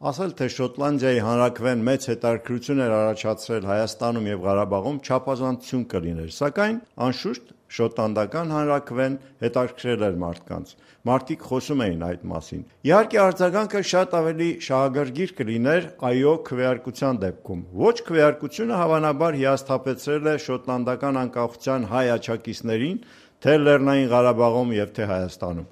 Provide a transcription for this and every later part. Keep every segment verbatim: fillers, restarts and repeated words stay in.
Ասել, թե Շոտլանդիայի հանրաքվեն մեծ հետաքրքրություն էր առաջացրել Հայաստանում և Ղարաբաղում չափազանցություն կլիներ, սակայն, անշուշտ, շոտլանդական հանրաքվեն հետաքրքրել էր մարդկանց, մարդիկ խոսում էին այդ մասին։ Իհարկե, արձագանքը շատ ավելի շահագրգիռ կլիներ «այո» քվեարկության դեպքում։ Ոչ քվեարկությունը հավանաբար հիասթափեցրել է շոտլանդական անկախության հայ աջակիցներին թե Լեռնային Ղարաբաղում և թե Հայաստանում։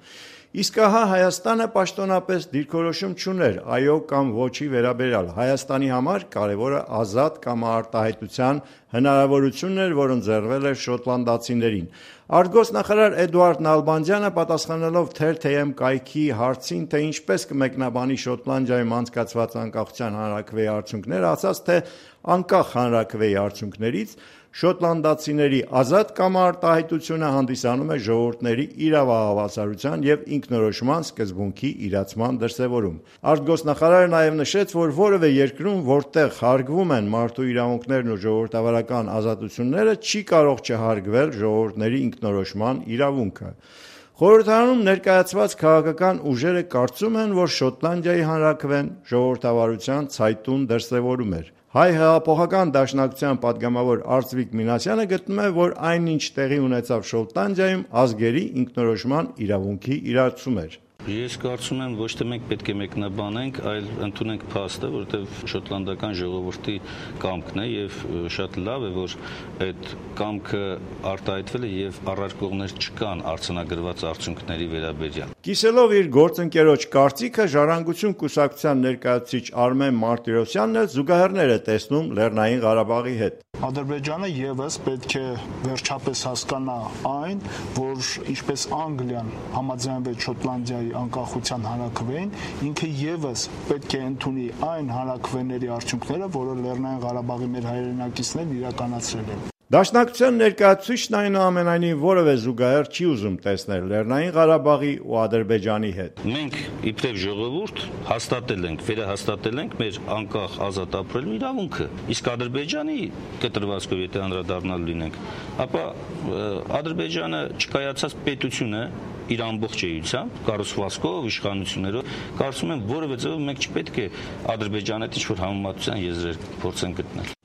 Իսկ ահա Հայաստանը պաշտոնապես դիրքորոշում չուներ «այո» կամ «ոչ»-ի վերաբերյալ։ Հայաստանի համար կարևորը ազատ կամարտահայտության հնարավորությունն էր, որ ընձեռվել էր շոտլանդացիներին։ Արտգործնախարար Էդուարդ Նալբանդյանը, պատասխանելով Թեր-Թ.Եմ կայքի հարցին, թե ինչպես կմեկնաբանի Շոտլանդիայում անցկացված անկախության հանրաքվեի արդյունքները, ասաց, թե անկախ հանրաքվեի արդյունքներից շոտլանդացիների ազատ կամարտահայտությունը հանդիսանում է ժողովուրդների իրավահավասարության և ինքնորոշման սկզբունքի իրացման դրսևորում։ Արտգործնախարարը նաև նշեց, որ որևէ երկրում, որտեղ հարգվում են մարդու իրավունքներն ու ժողովրդավարական ազատությունները, չի կարող չհարգվել ժողովուրդների ինքնորոշման իրավունքը։ Խորհրդարանում ներկայացված քաղաքական ուժերը կարծում են, որ Շոտլանդիայի հանրաքվեն ժողովրդավարության ցայտուն դրսևորում էր։ Հայ հեղափոխական դաշնակցության պատգամավոր Արծվիկ Մինասյանը գտնում է, որ այն, ինչ տեղի ունեցավ Շոտլանդիայում, ազգերի ինքնորոշման իրավունքի իրացում էր։ Ես կարծում եմ, ոչ թե մենք պետք է մեկնաբանենք, այլ ընդունենք փաստը, որովհետև շոտլանդական ժողովրդի կամքն է եւ շատ լավ է, որ այդ կամքը արտահայտվել է եւ առարկողներ չկան արձանագրված արդյունքների վերաբերյալ։ Կիսելով իր գործընկերոջ կարծիքը, Ժառանգություն կուսակցության ներկայացուցիչ Արմեն Մարտիրոսյանն էլ զուգահեռներ է տեսնում Լեռնային Ղարաբաղի հետ։ Ադրբեջանը եւս պետք է վերջապես հասկանա այն, որ ինչպես Անգլիան համաձայնվեց Շոտլանդիայի անկախության հանրաքվեին, ինքը եւս պետք է ընդունի այն հանրաքվեների արդյունքները, որը Լեռնային Ղարաբաղի մեր հայրենակիցներն իրականացրել են։ Դաշնակցության ներկայացուցիչն այնուամենայնիվ որևէ զուգահեռ չի ուզում տեսնել Լեռնային Ղարաբաղի ու Ադրբեջանի հետ։ Մենք իբրև ժողովուրդ հաստատել ենք, վերահաստատել ենք մեր անկախ ազատ ապրելու իրավունքը, իսկ Ադրբեջանի կտրվածքով եթե անդրադառնալու լինենք, ապա Ադրբեջանը չկայացած պետություն է իր ամբողջ էությամբ, կառուցվածքով, իշխանություններով, կարծում եմ որևէ ձևով մենք չպետք է Ադրբեջանի հետ ինչ-որ համեմատության եզրեր փորձենք գտնել։